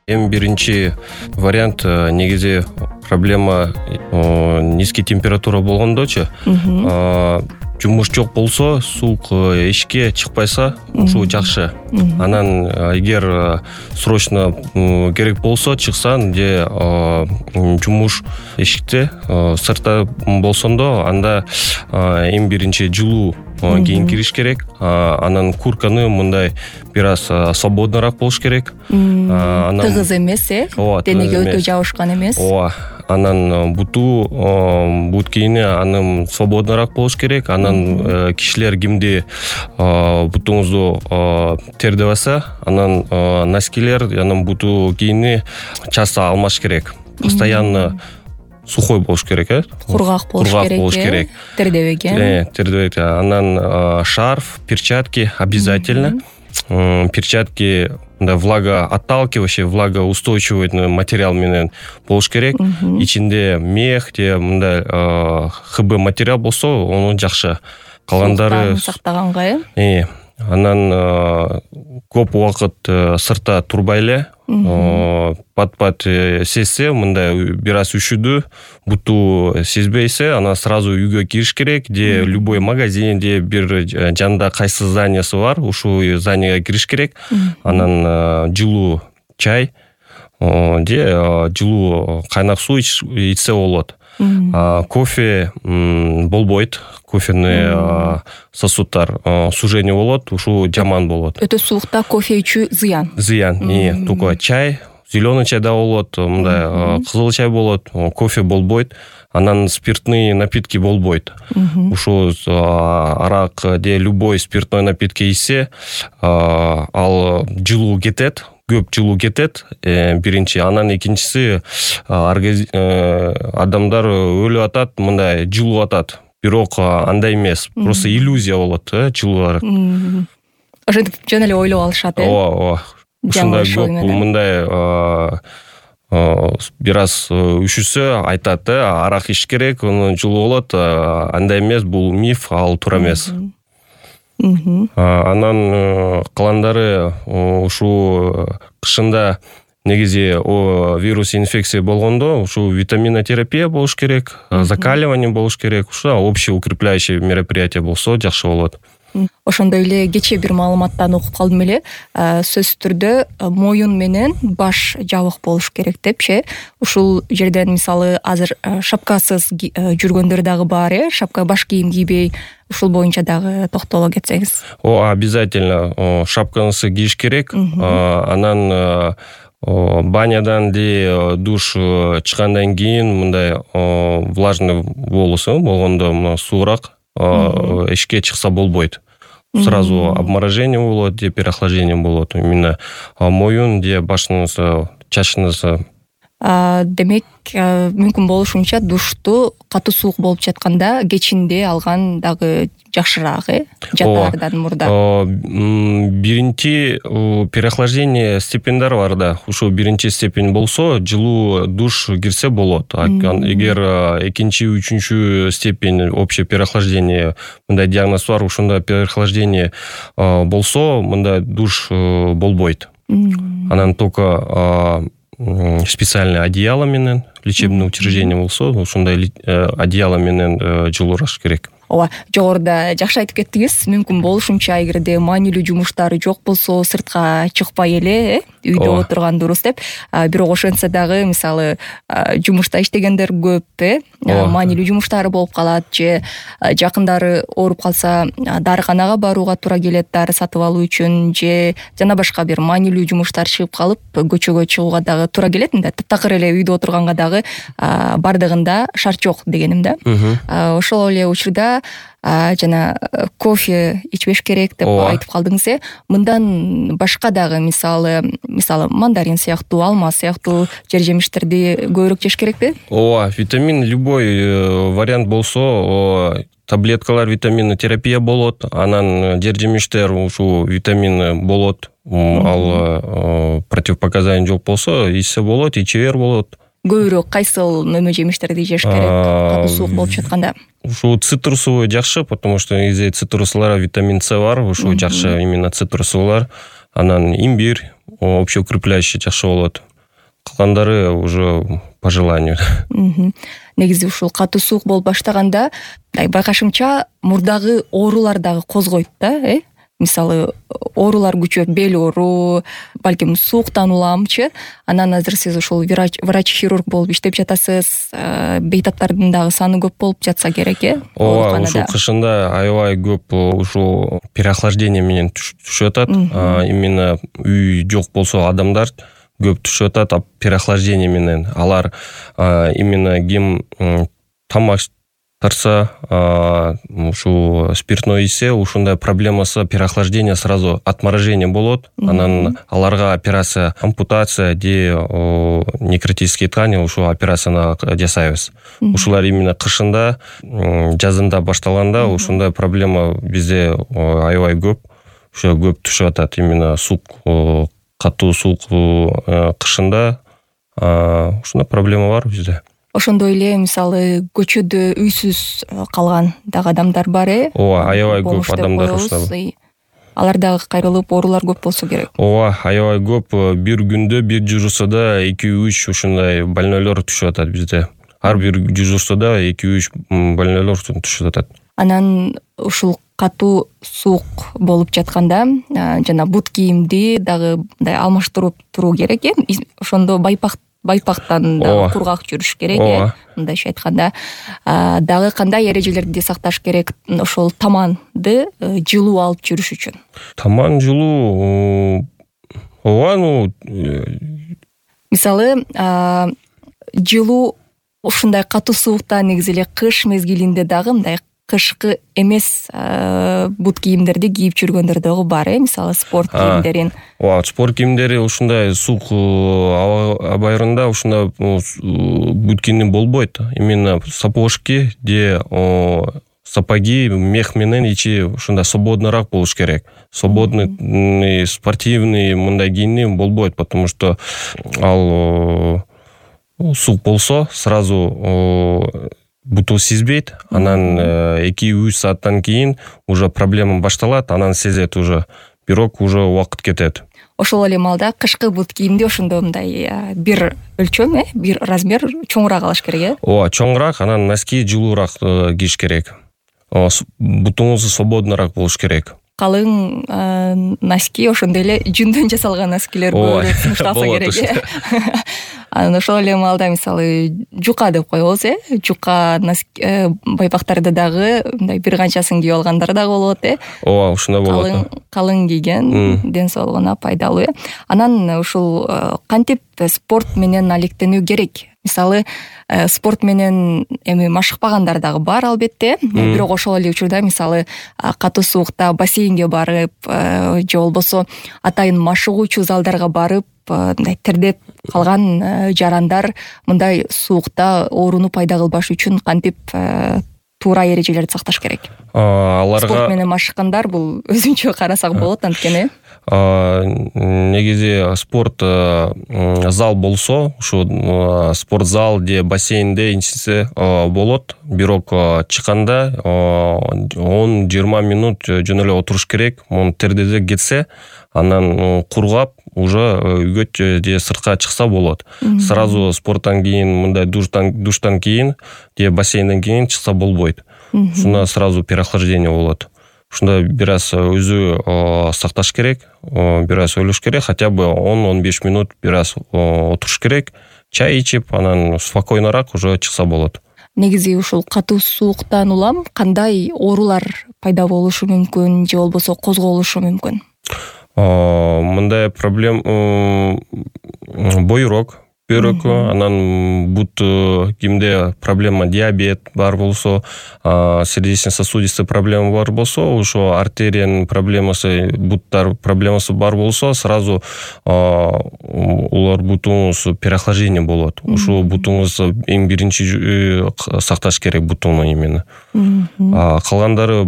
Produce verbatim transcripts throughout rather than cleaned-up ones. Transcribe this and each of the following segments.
Эң биринчи вариант негизи проблема низкий температура болгондочу. Жумуш жок болсо, суук эшикке чыкпайса, ушул жакшы. Анан эгер срочно керек болсо чыксаң, же жумуш эшикте сыртта болсондо, анда эң биринчи жылуу кийин кириш керек. Анан куртканы мындай бир аз свободнораак болуш керек. Тыгыз эмес, э? Денеге өтө жабышкан эмес. Ооба. Анан буту, бут кийини анын свободнораак болуш керек. Анан кишилер кимди бутуңузду тердебаса, анан носкилер, анан буту кийини часто алмаш керек. Постоянно сухой болуш керек, э? Кургак болуш керек. болуш керек. Тердебеген. Э, тердебеген. Анан шарф, перчатки обязательно. Перчатки мындай влагоотталкивающий, влагоустойчивый материал менен болуш керек. Ичинде мех же мындай ХБ материал болсо, ону жакшы. Калгандары сактаганга, э? Э, анан көп убакыт сыртта турбай эле, пат-пат сезсе, мындай бир аз үшүдү, буту сезбейсе, анан сразу үйгө кириш керек, же любой магазин, же бир жанда кайсы зданиясы бар, ушул зданияга кириш керек. Анан жылуу чай, же жылуу кайнак суу ичсе болот. Кофе болбойт. Кофеный сосудтар сужение болот, ушул жаман болот. Өтө суукта кофе ичүү зыян. Зыян. Только чай, зеленый чай да болот, мындай кызыл чай болот, кофе болбойт. Анан спиртный напитки болбойт. Ушул арак же любой спиртной напитки ичсе, ал жылуу кетет. Көп жылуу кетет, биринчи. Анан экинчиси, адамдар өлүп атат, мындай жылуу атат. Бирок андай эмес, просто иллюзия болот, э, жылуулар. Ошентип жөн эле ойлоп алышат, э? Ооба, ооба. Ушундай көп мындай бир аз үшүсө айтат, э, арак ич керек, ону жылуу болот. Андай эмес, бул миф, ал туура эмес. Анан калгандары ушул кышында негизи вирус инфекция болгондо, ушул витаминотерапия болуш керек, закаливание болуш керек, ушул общий укрепляющий мероприятие болсо жакшы болот. Ошондой эле кечээ бир маалыматтан окуп калдым эле. Сөзсүз түрдө моюн менен баш жабык болуш керек депчи. Ушул жерден мисалы азыр шапкасыз жүргөндөр дагы бар, э? Шапка, баш кийим кийбей, ушул боюнча дагы токтоло кетсеңиз. О, обязательно шапкаңызды кийиш керек. Анан банядан же душ чыккандан кийин мындай влажный волосу болгондо суураак эшикке чыкса болбойт. Сразу обморожение болот, же переохлаждение болот. Именно моюн же башыңыз, чачыңыз. Демек, мүмкүн болушунча душту катуу суук болуп жатканда кечинде алган дагы жакшыраак, э? Жатаардан мурда. Биринчи переохлаждение степеньдер бар да. Ушул биринчи степень болсо, жылуу душ кирсе болот. Эгер экинчи, үчүнчү степень общее переохлаждение, мындай диагноз бар, ушундай переохлаждение болсо, мындай душ болбойт. Анан только специальный одеяло менен, лечебное учреждение болсо, ушундай одеяло менен жылуураш керек. Ооба, жогоруда жакшы айтып кеттиңиз. Мүмкүн болушунча эгерде маанилүү жумуштары жок болсо, сыртка чыкпай эле, э, үйдө отурган дурус деп. Бирок ошентсе дагы, мисалы, жумушта иштегендер көп, э, маанилүү жумуштары болуп калат, же жакындары ооруп калса, дарыканага барууга туура келет дары сатып алуу үчүн, же жана башка бир маанилүү жумуштар чыгып калып, көчөгө чыгууга дагы туура келет да. Таптакыр эле үйдө отурганга дагы бардыгында шарт жок дегеним да. Ошол эле учурда жана кофе ичпеш керек деп айтып калдыңыз, э? Мындан башка дагы мисалы, мисалы мандарин сыяктуу, алма сыяктуу жер жемиштерди көбүрөөк жеш керекпи? Ооба, витамин любой вариант болсо, таблеткалар витаминотерапия болот, анан жер жемиштер ушул витамин болот. Ал противопоказаний жок болсо, ичсе болот, иче бер болот. Көбүрөөк кайсыл мөмө жемиштерди жеш керек катуу суук болуп жатканда? Ушул цитрусовый жакшы, потому что негизи цитрустарда витамин С бар, ушул жакшы именно цитрусовар. Анан имбирь общеукрепляющий жакшы болот. калгандары уже по желанию. Негизи ушул катуу суук болуп баштаганда байкашымча мурдагы оорулар дагы козгойт да, э? Мисалы оорулар күчөп, бел оору, балким сууктан уламчы. Анан азыр сиз ушул врач-хирург болуп иштеп жатасыз, бейтаптардын дагы саны көп болуп жатса керек, э? Ооба, ушул кышында аябай көп ушул переохлаждение менен түшүп атат. Именно үй жок болсо адамдар көп түшүп атат, переохлаждение менен. Алар именно ким тамак тарса, ушу спиртной ичсе, ушундай проблемасы переохлаждение сразу отморожение болот. Анан аларга операция, ампутация де некротические ткани ушу операцияны жасайбыз. Ушулар именно кышында, жазында башталганда ушундай проблема бизде аябай көп. Ушу көп түшүп атат. Именно суук, катуу суук кышында ушундай проблема бар бизде. Ошондой эле мисалы көчөдө үйсүз калган дагы адамдар бар, э? Ооба, аябай көп адамдар ушундай. Алар дагы кайрылып, оорулар көп болсо керек. Ооба, аябай көп. Бир күндө бир дежурствода эки үч ушундай больнойлор түшүп атат бизде. Ар бир дежурствода эки үч больнойлор түшүп атат. Анан ушул катуу суук болуп жатканда жана бут кийимди дагы мындай алмаштырып туруу керек, э? Ошондо байпак байпактан дагы кургак жүрүш керек, э? Мындайча айтканда, дагы кандай эрежелерди сакташ керек ошол таманды жылуу алып жүрүш үчүн? Таман жылуу, ооба, ну мисалы, жылуу ушундай катуу суукта негизи эле кыш мезгилинде дагы мындай кышкы эмес бут кийимдерди кийип жүргөндөр дагы бар, э? Мисалы спорт кийимдерин. Ооба, спорт кийимдери ушундай суук абайырында ушундай бут кийим болбойт. Именно сапожки де сапоги мех менен ичи ушундай свободныйраак болуш керек. Свободный, спортивный мындай кийим болбойт, потому что ал суук болсо сразу буту сезбейт, анан эки үч сааттан кийин уже проблема башталат, анан сезет уже. Бирок уже убакыт кетет. Ошол эле маалда кышкы бут кийимди ошондо мындай бир өлчөм, э, бир размер чоңураак алыш керек, э? Ооба, чоңураак, анан носки жылуураак кийиш керек. Бутуңуз свободныйраак болуш керек. Калың носки, ошондой эле жүндөн жасалган носкилер көбүрөөк сунушталса керек, э? Анан ошол эле маалда мисалы жука деп коебуз, э? Жука байпактарды дагы мындай бир канчасын кийип алгандар дагы болот, э? Ооба, ушундай болот. Калың кийген ден соолугуна пайдалуу, э? Анан ушул кантип спорт менен алектенүү керек? Мисалы, спорт менен эми машыкпагандар дагы бар албетте, бирок ошол эле учурда мисалы катуу суукта бассейнге барып, же болбосо атайын машыгуучу залдарга барып, мындай тердеп калган жарандар мындай суукта ооруну пайда кылбаш үчүн кантип туура эрежелерди сакташ керек? Аларга спорт менен машыккандар бул өзүнчө карасак болот, анткени негизи спорт зал болсо, ушу спорт зал же бассейнде инчисе болот, бирок чыкканда он жыйырма минут жөн эле отуруш керек. Муну тердеде кетсе, анан кургап уже үйгө же сыртка чыкса болот. Сразу спорттан кийин, мындай душтан душтан кийин же бассейнден кийин чыкса болбойт. Ушуна сразу переохлаждение болот. Ушунда бир аз өзү сакташ керек, бир аз ойлош керек, хотя бы он он беш минут бир аз отуруш керек, чай ичип, анан спокойнораак уже чыкса болот. Негизи ушул катуу сууктан улам кандай оорулар пайда болушу мүмкүн, же болбосо козголушу мүмкүн? Мындай проблема бойрок, бөйрөккө, анан бут кимде проблема диабет бар болсо, сердечно-сосудистый проблема бар болсо, ошо артериянын проблемасы, буттар проблемасы бар болсо, сразу улар бутуңуз переохлаждение болот. Ошо бутуңуз эң биринчи сакташ керек бутуну именно. Калгандары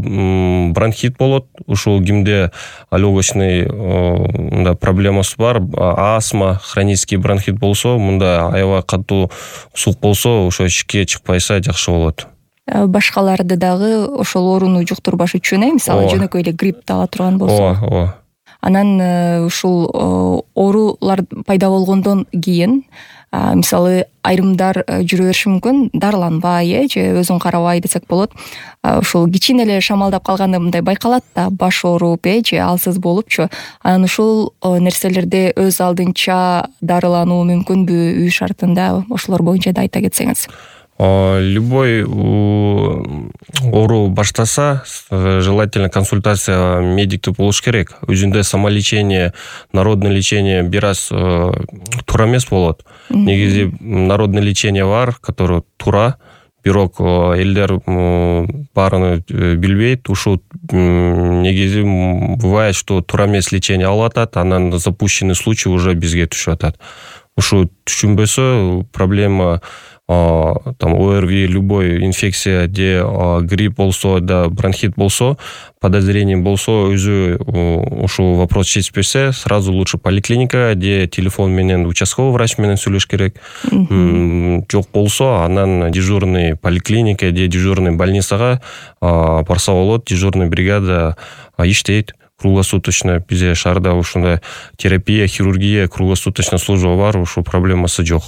бронхит болот, ушул кимде легочный проблемасы бар, астма, хронический бронхит болсо, мында аябай катуу суук болсо, ошо ичке чыкпайса жакшы болот. Башкаларды дагы ошол ооруну жуктурбаш үчүн, э, мисалы жөнөкөй эле грипп ала турган болсо. Ооба, ооба. анан ушул оорулар пайда болгондон кийин мисалы айрымдар жүрө бериши мүмкүн дарыланбай э же өзүн карабай десек болот. Ушул кичине эле шамалдап калганда мындай байкалат да, баш ооруп э же алсыз болупчу. Анан ушул нерселерде өз алдынча дарылануу мүмкүнбү үй шартында? Ошолор боюнча да айта кетсеңиз. Любой оору баштаса, желательно консультация медикти болуш керек. Өзүндө самолечение, народное лечение бир аз туура эмес болот. Негизи народное лечение бар, которое туура, бирок элдер баарын билбейт. Ушул негизи бывает, что туура эмес лечение алып атат, анан запущенный случай уже бизге түшүп атат. Ушу түшүнбөсө проблема там ОРВИ, любой инфекция, де грипп болсо, да бронхит болсо, подозрение болсо, өзү ушул вопрос чечпесе, сразу лучше поликлиника, де телефон менен участковый врач менен сүйлөш керек. Жок болсо, анан дежурный поликлиника, де дежурный больницага барса болот, дежурный бригада иштейт. Круглосуточно бизде шаарда ушундай терапия, хирургия, круглосуточно служба бар, ушул проблемасы жок.